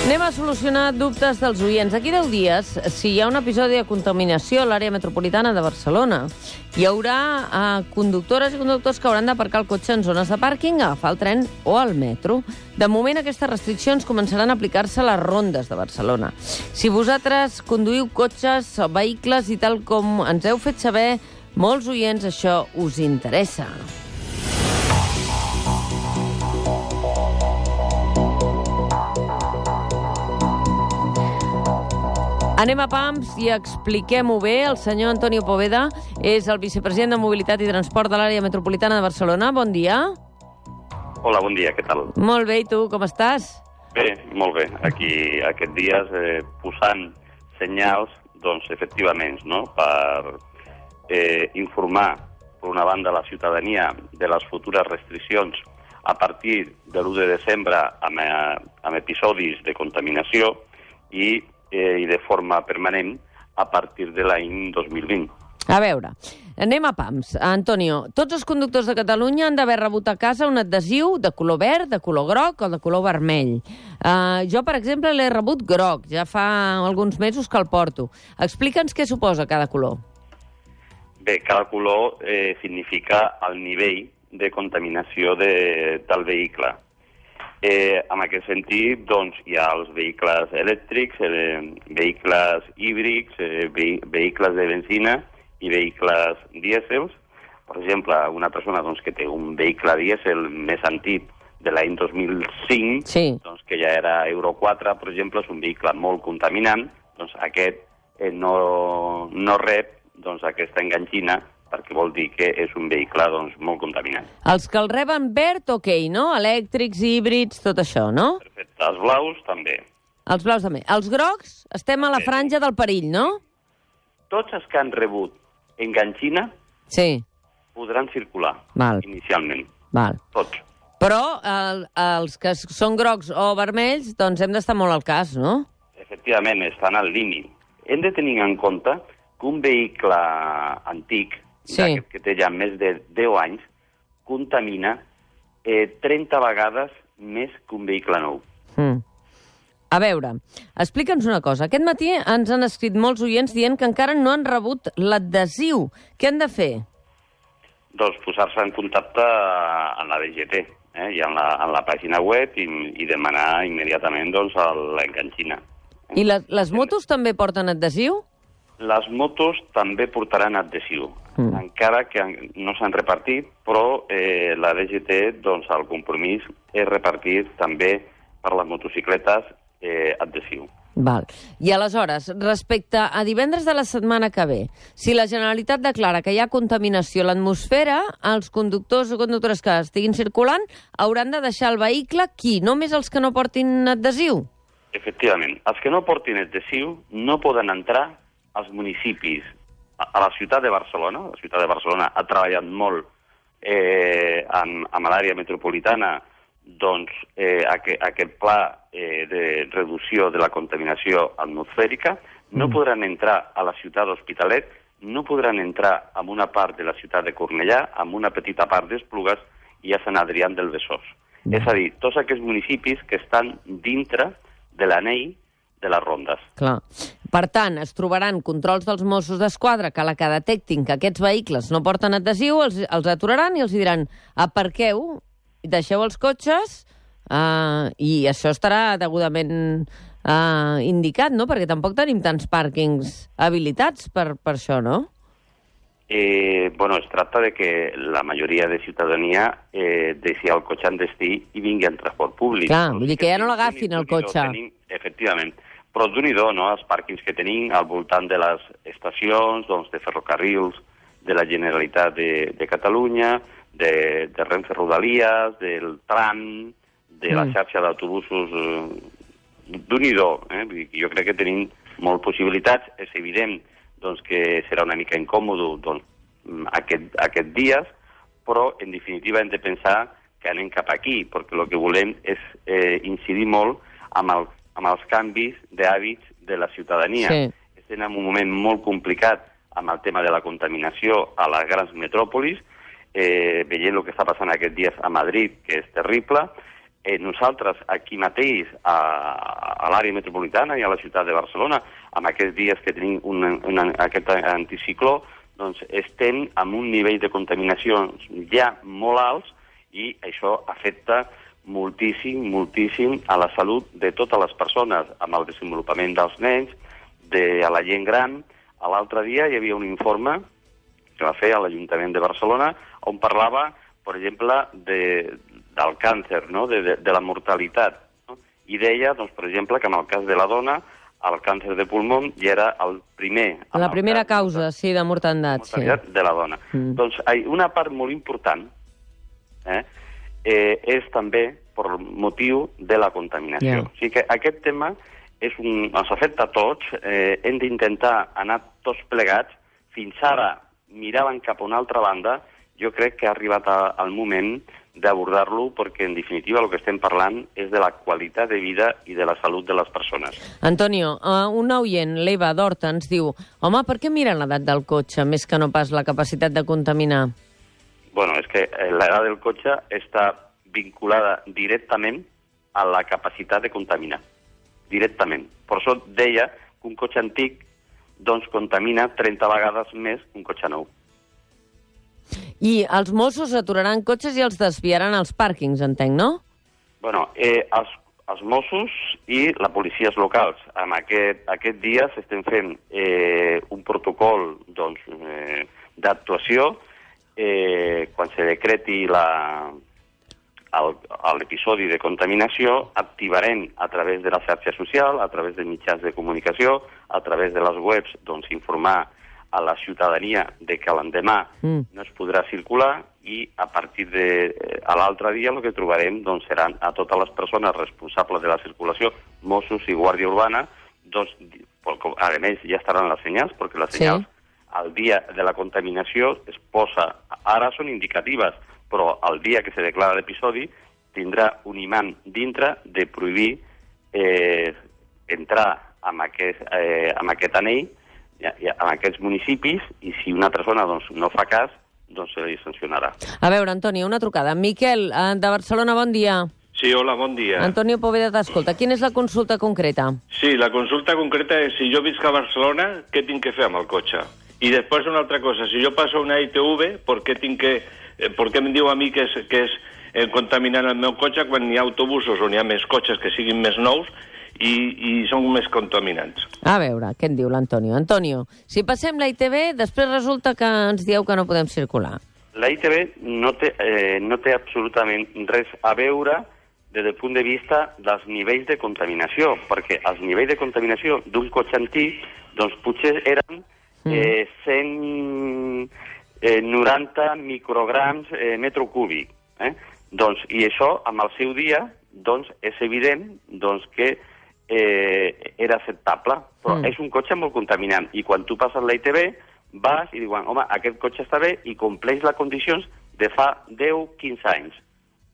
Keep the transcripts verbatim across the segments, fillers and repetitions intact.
Anem a solucionar dubtes dels oients. D'aquí deu dies, si hi ha un episodi de contaminació a l'àrea metropolitana de Barcelona, hi haurà eh, conductores i conductors que hauran d'aparcar el cotxe en zones de pàrquing, agafar el tren o el metro. De moment, aquestes restriccions començaran a aplicar-se a les rondes de Barcelona. Si vosaltres conduïu cotxes o vehicles i tal com ens heu fet saber, molts oients això us interessa. Anem a Pams i expliquem-ho bé. El senyor Antonio Poveda és el vicepresident de Mobilitat i Transport de l'àrea metropolitana de Barcelona. Bon dia. Hola, bon dia, què tal? Molt bé, i tu, com estàs? Bé, molt bé. Aquí, aquests dies, eh, posant senyals, doncs, efectivament, no?, per eh, informar, per una banda, la ciutadania de les futures restriccions a partir de l'u de desembre amb, amb episodis de contaminació i eh, i de forma permanent a partir de l'any dos mil vint. A veure, anem a Pams. Antonio, tots els conductors de Catalunya han d'haver rebut a casa un adhesiu de color verd, de color groc o de color vermell. Uh, jo, per exemple, l'he rebut groc. Ja fa alguns mesos que el porto. Explica'ns què suposa cada color. Bé, cada color eh, significa el nivell de contaminació de, del vehicle. Eh, en aquest sentit, doncs, hi ha els vehicles elèctrics, eh, vehicles híbrids, eh, ve vehicles de benzina i vehicles dièsels. Per exemple, una persona doncs, que té un vehicle dièsel més antic de l'any dos mil cinc, sí. doncs, que ja era Euro quatre, per exemple, és un vehicle molt contaminant, doncs aquest eh, no, no rep doncs, aquesta enganxina, perquè vol dir que és un vehicle doncs, molt contaminant. Els que el reben verd, ok, no? Elèctrics, híbrids, tot això, no? Perfecte. Els blaus, també. Els blaus també. Els grocs, estem a la franja del perill, no? Tots els que han rebut enganxina sí. podran circular, Val. inicialment. Val. Tots. Però el, els que són grocs o vermells, doncs hem d'estar molt al cas, no? Efectivament, estan al límit. Hem de tenir en compte que un vehicle antic, sí. que té ja més de deu anys, contamina eh, trenta vegades més que un vehicle nou. Mm. A veure, explica'ns una cosa. Aquest matí ens han escrit molts oients dient que encara no han rebut l'adhesiu. Què han de fer? Doncs posar-se en contacte amb la D G T, eh, i en la, en la pàgina web i, i demanar immediatament doncs, l'enganxina. I les, les motos també porten adhesiu? Les motos també portaran adhesiu, mm. encara que no s'han repartit, però eh, la D G T, doncs, el compromís és repartir també per les motocicletes eh, adhesiu. Val. I aleshores, respecte a divendres de la setmana que ve, si la Generalitat declara que hi ha contaminació a l'atmosfera, els conductors o conductores que estiguin circulant hauran de deixar el vehicle, qui? Només els que no portin adhesiu? Efectivament. Els que no portin adhesiu no poden entrar als municipis. A la ciutat de Barcelona, la ciutat de Barcelona ha treballat molt eh, amb, amb l'àrea metropolitana doncs, eh, aquest, aquest pla eh, de reducció de la contaminació atmosfèrica. No mm. podran entrar a la ciutat d'Hospitalet, no podran entrar en una part de la ciutat de Cornellà, en una petita part d'Esplugues i a Sant Adrià del Besòs. Mm. És a dir, tots aquests municipis que estan dintre de l'anell de les rondes. Clar. Per tant, es trobaran controls dels Mossos d'Esquadra que a la que detectin que aquests vehicles no porten adhesiu, els, els aturaran i els diran aparqueu, deixeu els cotxes uh, i això estarà degudament uh, indicat, no? Perquè tampoc tenim tants pàrquings habilitats per, per això, no? Eh, bueno, es tracta de que la majoria de ciutadania eh, deixi el cotxe en destí i vingui en transport públic. Clar, vull dir que ja no l'agafin el cotxe. Tenim, efectivament. Però d'un-i-do, no?, els pàrquings que tenim al voltant de les estacions, doncs, de ferrocarrils de la Generalitat de, de Catalunya, de, de Renfe Rodalies, del tram, de la xarxa d'autobusos, eh, d'un-i-do. Eh? Jo crec que tenim molt possibilitats. És evident doncs, que serà una mica incòmode doncs, aquest, aquest dies, però en definitiva hem de pensar que anem cap aquí, perquè el que volem és eh, incidir molt amb el amb els canvis d'hàbits de la ciutadania. Sí. Estem en un moment molt complicat amb el tema de la contaminació a les grans metròpolis, eh, veient el que està passant aquests dies a Madrid, que és terrible, eh, nosaltres aquí mateix, a, a l'àrea metropolitana i a la ciutat de Barcelona, amb aquests dies que tenim un, un, aquest anticicló, doncs estem amb un nivell de contaminació ja molt alts i això afecta moltíssim, moltíssim a la salut de totes les persones, amb el desenvolupament dels nens, de la gent gran. L'altre dia hi havia un informe que va fer a l'Ajuntament de Barcelona on parlava, per exemple, de, del càncer, no? de, de, de la mortalitat. No? I deia, doncs, per exemple, que en el cas de la dona, el càncer de pulmó ja era el primer... La primera causa, sí, de mortandat. De mortalitat sí. de la dona. Mm. Doncs una part molt important eh, eh, és també per motiu de la contaminació. Yeah. O sigui que aquest tema és un, ens afecta a tots, eh, hem d'intentar anar tots plegats. Fins ara miraven cap a una altra banda. Jo crec que ha arribat a, al moment d'abordar-lo perquè, en definitiva, el que estem parlant és de la qualitat de vida i de la salut de les persones. Antonio, uh, un oient, l'Eva d'Horta, ens diu home, per què miren l'edat del cotxe més que no pas la capacitat de contaminar? Bueno, és que l'edat del cotxe està vinculada directament a la capacitat de contaminar. Directament. Per això deia que un cotxe antic doncs contamina trenta vegades més que un cotxe nou. I els Mossos aturaran cotxes i els desviaran als pàrquings, entenc, no? Bueno, eh, els, els Mossos i la policies locals. En aquest, aquest dia s'estem fent eh, un protocol doncs, eh, d'actuació eh, quan se decreti la, el, l'episodi de contaminació, activarem a través de la xarxa social, a través de mitjans de comunicació, a través de les webs, doncs, informar a la ciutadania de que l'endemà mm. no es podrà circular i a partir de a l'altre dia el que trobarem doncs, seran a totes les persones responsables de la circulació, Mossos i Guàrdia Urbana, doncs, a més ja estaran les senyals, perquè les senyals sí. al dia de la contaminació es posa, ara són indicatives, però el dia que se declara l'episodi tindrà un imant dintre de prohibir eh, entrar amb aquest, eh, amb aquest anell en aquests municipis, i si una persona doncs, no fa cas, doncs se li sancionarà. A veure, Antonio, una trucada. Miquel, de Barcelona, bon dia. Sí, hola, bon dia. Antonio Poveda t'escolta. Quina és la consulta concreta? Sí, la consulta concreta és si jo visc a Barcelona, què tinc que fer amb el cotxe? I després una altra cosa, si jo passo una I T V, per què tinc que... Per què em diu a mi que és, que és eh, contaminant el meu cotxe quan hi ha autobusos on hi ha més cotxes que siguin més nous i, i són més contaminants? A veure, què en diu l'Antonio? Antonio, si passem la I T V, després resulta que ens dieu que no podem circular. La I T V no té, eh, no té absolutament res a veure des del punt de vista dels nivells de contaminació, perquè els nivells de contaminació d'un cotxe antic doncs potser eren eh, cent noranta micrograms eh, metro cúbic. Eh? Doncs, i això, amb el seu dia, doncs, és evident doncs, que eh, era acceptable, però mm. és un cotxe molt contaminant, i quan tu passes la I T V, vas i diuen, home, aquest cotxe està bé i compleix les condicions de fa deu quinze anys,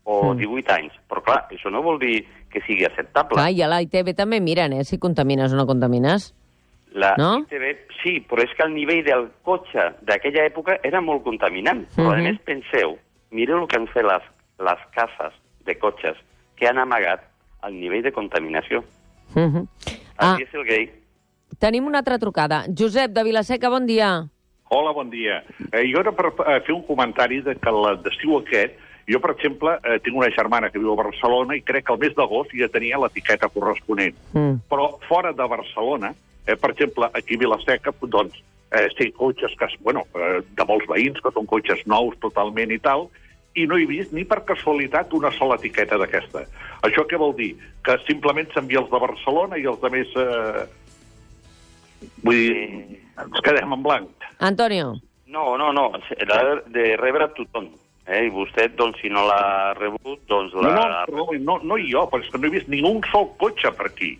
o mm. divuit anys. Però, clar, això no vol dir que sigui acceptable. Clar, i a la I T V també miren, eh, si contamines o no contamines. La no? I T V, sí, però és que el nivell del cotxe d'aquella època era molt contaminant. Però, mm-hmm. a més, penseu, mireu el que han fet les, les cases de cotxes que han amagat el nivell de contaminació. Mm-hmm. Ah, Aquí és el gay. Tenim una altra trucada. Josep, de Vilaseca, bon dia. Hola, bon dia. Eh, jo era per eh, fer un comentari de que l'estiu aquest, jo, per exemple, eh, tinc una germana que viu a Barcelona i crec que el mes d'agost ja tenia l'etiqueta corresponent. Mm. Però fora de Barcelona, Eh, per exemple, aquí a Vilaseca, doncs, eh, té cotxes que, bueno, eh, de molts veïns, que són cotxes nous totalment i tal, i no he vist ni per casualitat una sola etiqueta d'aquesta. Això què vol dir? Que simplement s'envia els de Barcelona i els de més... Eh... Vull dir, ens quedem en blanc. Antonio. No, no, no, l'ha de rebre tothom. Eh? I vostè, doncs, si no l'ha rebut, doncs... La... No, no, no, no jo, però és que no he vist ningú sol cotxe per aquí.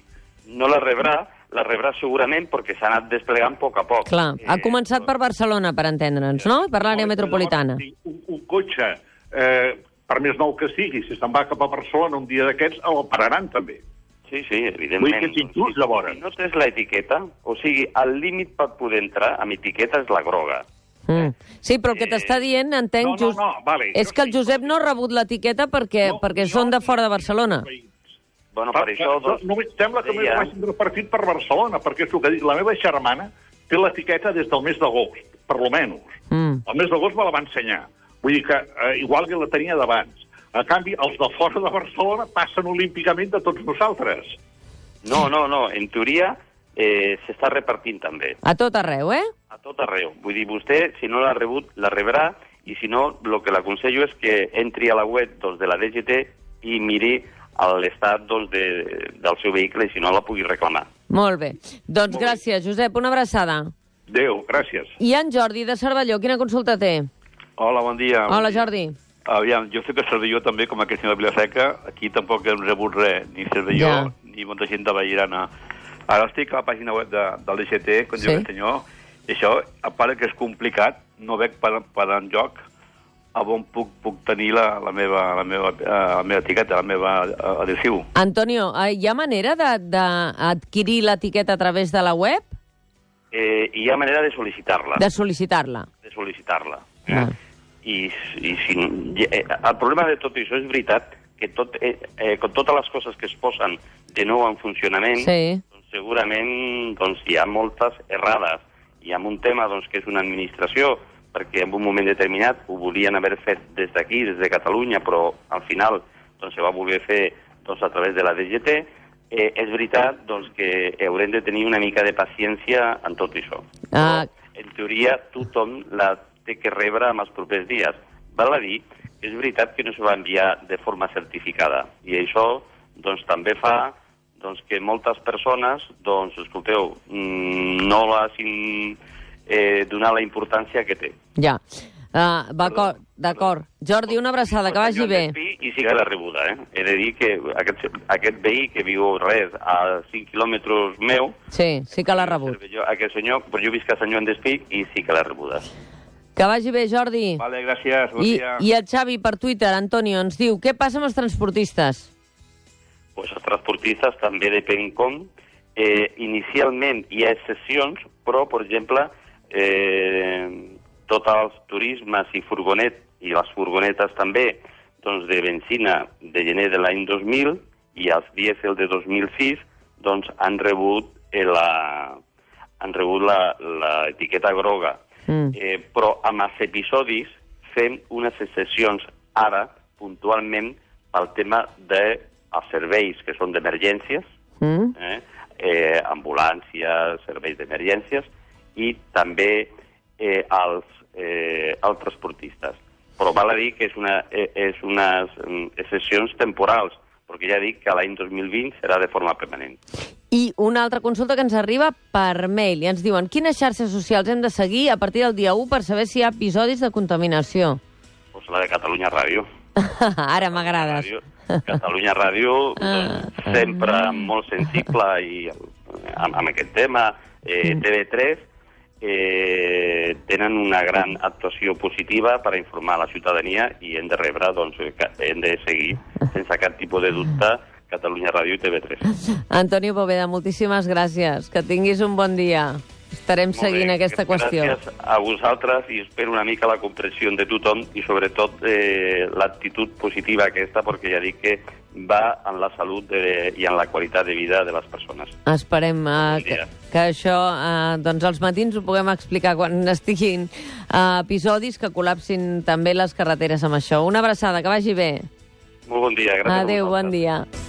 No la rebrà, la rebrà segurament perquè s'ha anat desplegant a poc a poc. Clar, ha eh, començat per Barcelona, per entendre'ns, no? Per l'àrea no, metropolitana. Un, un cotxe, eh, per més nou que sigui, si se'n va cap a Barcelona un dia d'aquests, el pararan també. Sí, sí, evidentment. Vull que t'injust, llavors. Si no tens l'etiqueta, o sigui, el límit per poder entrar amb etiqueta és la groga. Mm. Sí, però el que t'està dient, entenc, no, no, no, vale. és que el Josep no ha rebut l'etiqueta perquè, No, perquè jo- són de fora de Barcelona. Bueno, per això... Doncs, no, sembla que deia- m'he vagin repartit per Barcelona, perquè és el que dic, la meva germana té l'etiqueta des del mes d'agost, per lo menys. Mm. El mes d'agost me la va ensenyar. Vull dir que eh, igual que la tenia d'abans. A canvi, els de fora de Barcelona passen olímpicament de tots nosaltres. No, no, no. En teoria eh, s'està repartint també. A tot arreu, eh? A tot arreu. Vull dir, vostè, si no l'ha rebut, la rebrà, i si no, el que l'aconsello és que entri a la web doncs, de la D G T i miri l'estat doncs, de, del seu vehicle, i si no, la pugui reclamar. Molt bé. Doncs Molt bé. gràcies, Josep. Una abraçada. Adéu, gràcies. I en Jordi, de Cervelló, quina consulta té? Hola, bon dia. Hola, Jordi. Aviam, jo sé que Cervelló també, com aquest senyor de Vilaseca, aquí tampoc hem rebut res, ni Cervelló, Ja. ni molta gent de Vallirana. Ara estic a la pàgina web de, del D G T, com Sí. diu el senyor, i això, a part que és complicat, no veig per, per enlloc a on puc, puc tenir la, la, meva, la, meva, eh, la meva etiqueta, la meva eh, adhesiu. Antonio, eh, hi ha manera d'adquirir l'etiqueta a través de la web? Eh, hi ha manera de sol·licitar-la. De sol·licitar-la? De sol·licitar-la. Eh? Ah. I, i si, eh, el problema de tot això és veritat que tot, eh, eh, con totes les coses que es posen de nou en funcionament, Sí. doncs, segurament doncs, hi ha moltes errades. Hi ha un tema doncs, que és una administració, perquè en un moment determinat ho volien haver fet des d'aquí, des de Catalunya, però al final doncs, se va voler fer doncs, a través de la D G T. Eh, és veritat doncs, que haurem de tenir una mica de paciència en tot això. Ah. Però, en teoria, tothom la té que rebre en els propers dies. Val a dir que és veritat que no se va enviar de forma certificada, i això doncs, també fa doncs, que moltes persones, doncs, escolteu, mm, no l'hagin eh, donat la importància que té. Ja. Uh, D'acord. Jordi, una abraçada, que vagi bé. I sí que l'ha rebuda, eh? He de dir que aquest, aquest veí que viu res a cinc quilòmetres meu... Sí, sí que l'ha rebut. Jo, aquest senyor, però jo visc a Sant Joan d'Espí i sí que l'ha rebuda. Que vagi bé, Jordi. Vale, gràcies, bon I, dia. I el Xavi, per Twitter, Antonio, ens diu, què passa amb els transportistes? Pues els transportistes també depèn com. Eh, inicialment hi ha excepcions, però, per exemple, eh, tots els turismes i furgonet, i les furgonetes també, doncs de benzina de gener de l'any dos mil i els dièsel de dos mil sis, doncs han rebut eh, la, han rebut la, la etiqueta groga. Mm. Eh, però amb els episodis fem unes excepcions ara, puntualment, pel tema dels serveis que són d'emergències, Mm. eh, eh, ambulàncies, serveis d'emergències, i també eh, els, eh, els transportistes. Però val a dir que és, una, eh, és unes mm, excepcions temporals, perquè ja dic que l'any dos mil vint serà de forma permanent. I una altra consulta que ens arriba per mail, i ens diuen, quines xarxes socials hem de seguir a partir del dia u per saber si hi ha episodis de contaminació? Pues la de Catalunya Ràdio. Ara m'agrades. Ràdio. Catalunya Ràdio, doncs, sempre molt sensible i amb, amb aquest tema. Eh, T V tres eh, tenen una gran actuació positiva per a informar la ciutadania i hem de rebre, doncs, hem de seguir sense cap tipus de dubte Catalunya Ràdio i T V tres. Antonio Poveda, moltíssimes gràcies. Que tinguis un bon dia. Estarem seguint aquesta qüestió. Gràcies a vosaltres i espero una mica la comprensió de tothom i sobretot eh, l'actitud positiva aquesta, perquè ja dic que va en la salut de, i en la qualitat de vida de les persones. Esperem uh, Bon que, dia. que això, uh, doncs als matins ho puguem explicar quan estiguin uh, episodis que col·lapsin també les carreteres amb això. Una abraçada, que vagi bé. Molt bon dia. Gràcies a Adéu, vosaltres. bon dia.